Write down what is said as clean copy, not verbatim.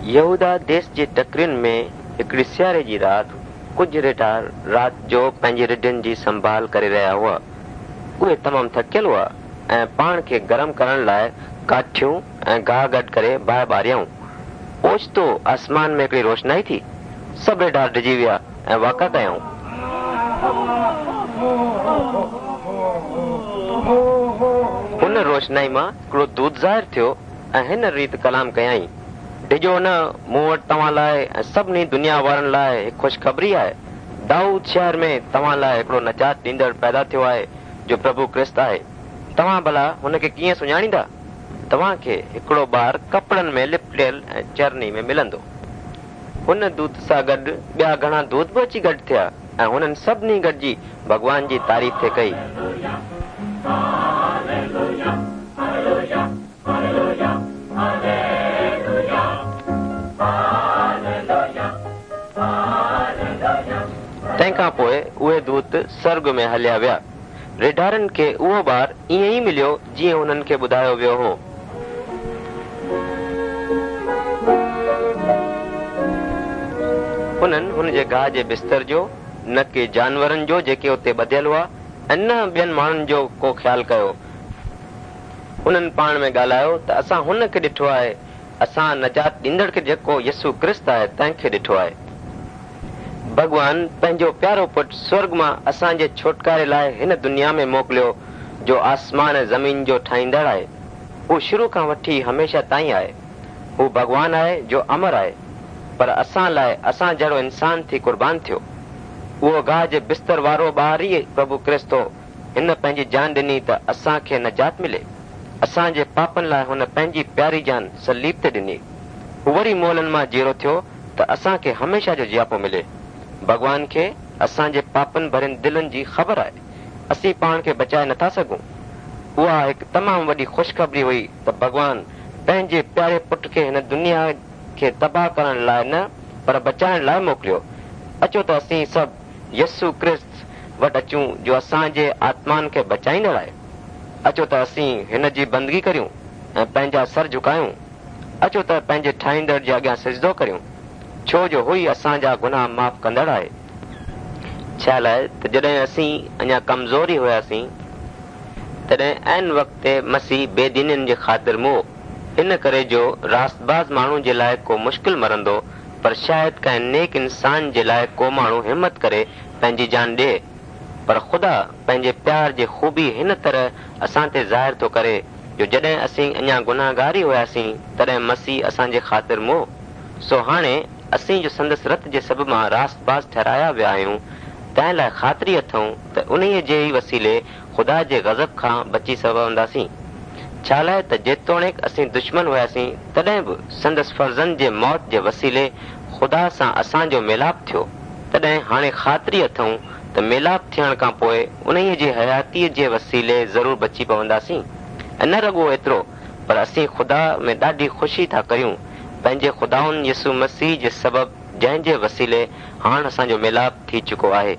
يهوداه ديس جي ٽڪرين ۾ هڪڙي سياري جي رات ڪجهه ريڍار رات جو پنهنجي رڍن جي سنڀال ڪري رهيا هئا. اهي تمام ٿڪيل هئا ۽ پاڻ کي گرم ڪرڻ لاء ڪاٺيون ۽ گاهه گڏ ڪري باهه ٻاريائون. اوچتو آسمان ۾ هڪڙي روشنائي ٿي. سڀ ريڍار ڊڄي ويا ۽ واڪا ڪيائون. ان روشنائي مان هڪڙو دوت ظاهر ٿيو ۽ هن ريت ڪلام ڪيائين، ڊڄو نه، مون وٽ توهان لاء ۽ سڀني دنيا وارن لاء هڪ خوشخبري آهي. دائود شهر ۾ توهان لاء هڪڙو نجات ڏيندڙ پيدا ٿيو آهي، جو پرڀو ڪرست آهي. توهان ڀلا هن کي ڪيئن سڃاڻيندا؟ توهان کي هڪڙو ٻار ڪپڙن ۾ لپٽيل ۽ چرني ۾ ملندو. هن دوت سان گڏ ٻيا گهڻا دوت به اچي گڏ ٿيا ۽ هنن سڀني گڏجي ڀڳوان جي تعريف ٿي ڪئي. تنهن کان پوء اهي دوت سرڳ ۾ هليا ويا. ريڍارن کي اهو ٻار ائين ئي مليو جيئن هنن کي ٻڌايو ويو هو. هنن هن جي گاهه جي بستر جو، نه ڪي جانورن جو جيڪي اتي ٻڌيل هئا ۽ نه ٻين ماڻهن جو ڪو خيال ڪيو. هنن پاڻ ۾ ڳالهايو ته اسان هن کي ڏٺو آهي، اسان نجات ڏيندڙ کي جيڪو يسوع ڪرست آهي تنهن کي ڏٺو آهي. ڀڳوان پنهنجو پيارو پٽ سورڳ مان اسان جي ڇوٽڪاري لاء هن دنيا ۾ موڪليو جو آسمان ۽ زمين جو ٺاهيندڙ آهي. هو شروع کان وٺي هميشه تائين آهي. هو ڀڳوان آهي جو امر آهي. پر اسان لاء اسان جهڙو انسان ٿي قربان ٿيو. اهو گاهه جي بستر وارو ٻار ئي پرڀو ڪرست هو. هن پنهنجي جان ڏني ته اسان کي نجات ملي. اسان جي پاپن لاء هن پنهنجي پياري جان صليب تي ڏني. هو وري مئلن مان جيئرو ٿيو ته اسان کي هميشه جو جياپو ملي. ڀڳوان کي اسان جي پاپن ڀرين دلن جي خبر آهي. اسين پاڻ کي بچائي نٿا سگهون. اها هڪ تمام وڏي خوشخبري هئي ته ڀڳوان پنهنجي پياري پٽ کي هن دنيا کي تباهه ڪرڻ لاء نه پر بچائڻ لاء موڪليو. اچو ته اسين سڀ يسوع ڪرست وٽ اچون جو اسان جي آتمائن کي بچائيندڙ آهي. اچو ته اسين هن جي بندگي ڪريون ۽ پنهنجا سر جهڪايون. اچو ته پنهنجي ٺاهيندڙ جي اڳيان سجدو ڪريون، ڇو جو هو ئي اسان جا گناهه معاف ڪندڙ آهي. ڇا لاء ته جڏهن اسين اڃا ڪمزور ئي هياسين، تڏهن عين وقت تي مسيح بي دينن جي خاطر مئو. ان ڪري جو راستباز ماڻهو جي لاء ڪو مشڪل مرندو، پر شايد ڪنهن نيڪ انسان جي لاء ڪو ماڻهو همت ڪري پنهنجي جان ڏئي. پر خدا پنهنجي پيار جي خوبي هن طرح اسان تي ظاهر ٿو ڪري، جو جڏهن اسين اڃا گنهگار ئي هياسين، تڏهن مسيح اسان جي خاطر مئو. سو هاڻي اسين جو سندس رت جي سبب مان راستباز ٺهرايا ويا آهيون، تنهن لاء خاطري اٿئون ته انهيء جي ئي وسيلي خدا جي غضب کان بچي پونداسين. ڇالاء ته جيتوڻيڪ اسين دشمن هياسين، تڏهن به سندس فرزند جي موت جي وسيلي خدا سان اسان جو ميلاپ ٿيو، تڏهن هاڻي خاطري اٿئون ته ميلاپ ٿيڻ کان پوء انهيء جي حياتيء جي وسيلي ضرور بچي پونداسين. ۽ نه رڳو ايترو، پر اسين خدا ۾ ڏاڍي خوشي ٿا ڪريون، پنهنجي خداوند يسوع مسيح جي سبب، جنهن جي وسيلي هاڻ اسان جو ميلاپ ٿي چڪو آهي.